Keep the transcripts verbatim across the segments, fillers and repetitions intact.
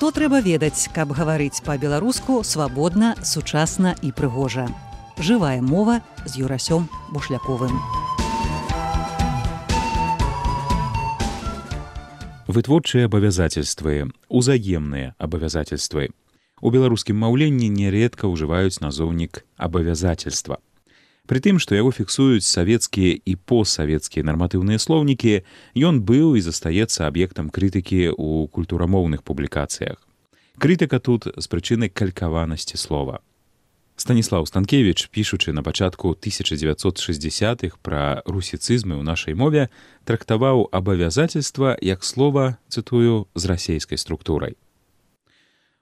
Што трэба ведаць, каб гаварыць па-беларуску свабодна, сучасна і прыгожа. Жывая мова з Юрасём Бушляковым. Вытворчыя абавязательствы, узаемныя абавязательствы. У беларускім маўленні нярэдка ўжываюць назоўнік абавязательства. Пры тым, што яго фіксуюць савецкія і постсавецкія нарматыўныя слоўнікі, ён быў і застаецца аб'ектам крытыкі ў культурамоўных публікацыях. Крытыка тут з прычыны калькаванасці слова. Станіслаў Станкевіч, пішучы на пачатку тысяча дзевяцьсот шэсцідзясятых пра русіцызмы ў нашай мове, трактаваў абавязательства як слова, цытую, з расейскай структурай.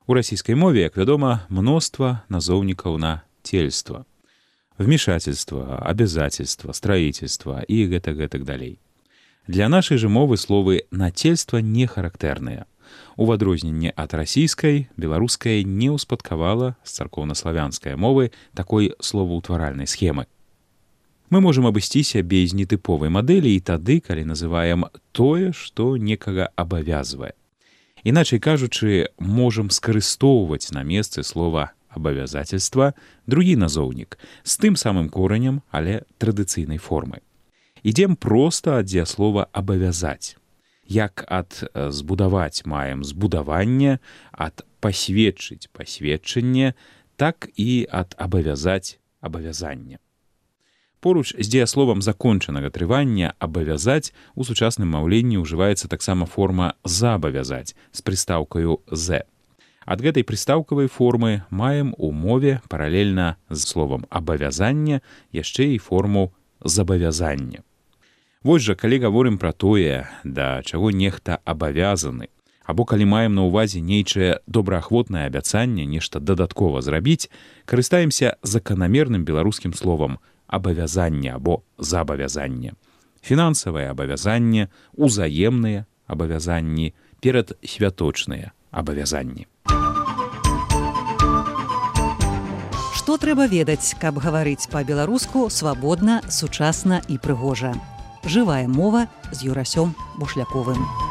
У расійскай мове, як вядома, мноства назоўнікаў на цельства. Вмешательство, обязательство, строительство и гэтак-гэтак далей. Для нашай же мовы словы «нацельства» не характэрныя. У адрозненне ад расійскай, беларуская не ўспадкавала з царкоўнаславянскай мовы такой словаўтваральнай схемы. Мы можам абысціся без нетыповай мадэлі і тады, калі называем тое, што некага абавязвае. Іначай кажучы, можам скарыстоўваць на месцы слова абавязательства другі назоўнік з тым самым коранем, але традыцыйнай формы. Ідзем проста ад дзеяслова абавязаць. Як ад збудаваць маем збудаванне, ад пасведчыць пасведчанне, так і ад абавязаць абавязанне. Поруч з дзеясловам закончанага трывання абавязаць у сучасным маўленні ўжываецца таксама форма забавязаць з прыстаўкаю «з». Ад гэтай прыстаўкавай формы маем у мове паралельна з словам «абавязанне» яшчэ і форму «забавязання». Вось жа, калі гаворым пра тое, да чаго нехта абавязаны, або калі маем на ўвазе нейчае добраахвотнае абяцанне нешта дадаткова зрабіць, карыстаемся заканамерным беларускім словам «абавязанне» або «забавязанне». Фінансавае абавязанне, узаемныя абавязанні, перадсвяточныя абавязанні. Што трэба ведаць, каб гаварыць па-беларуску свабодна, сучасна і прыгожа. Жывая мова з Юрасём Бушляковым.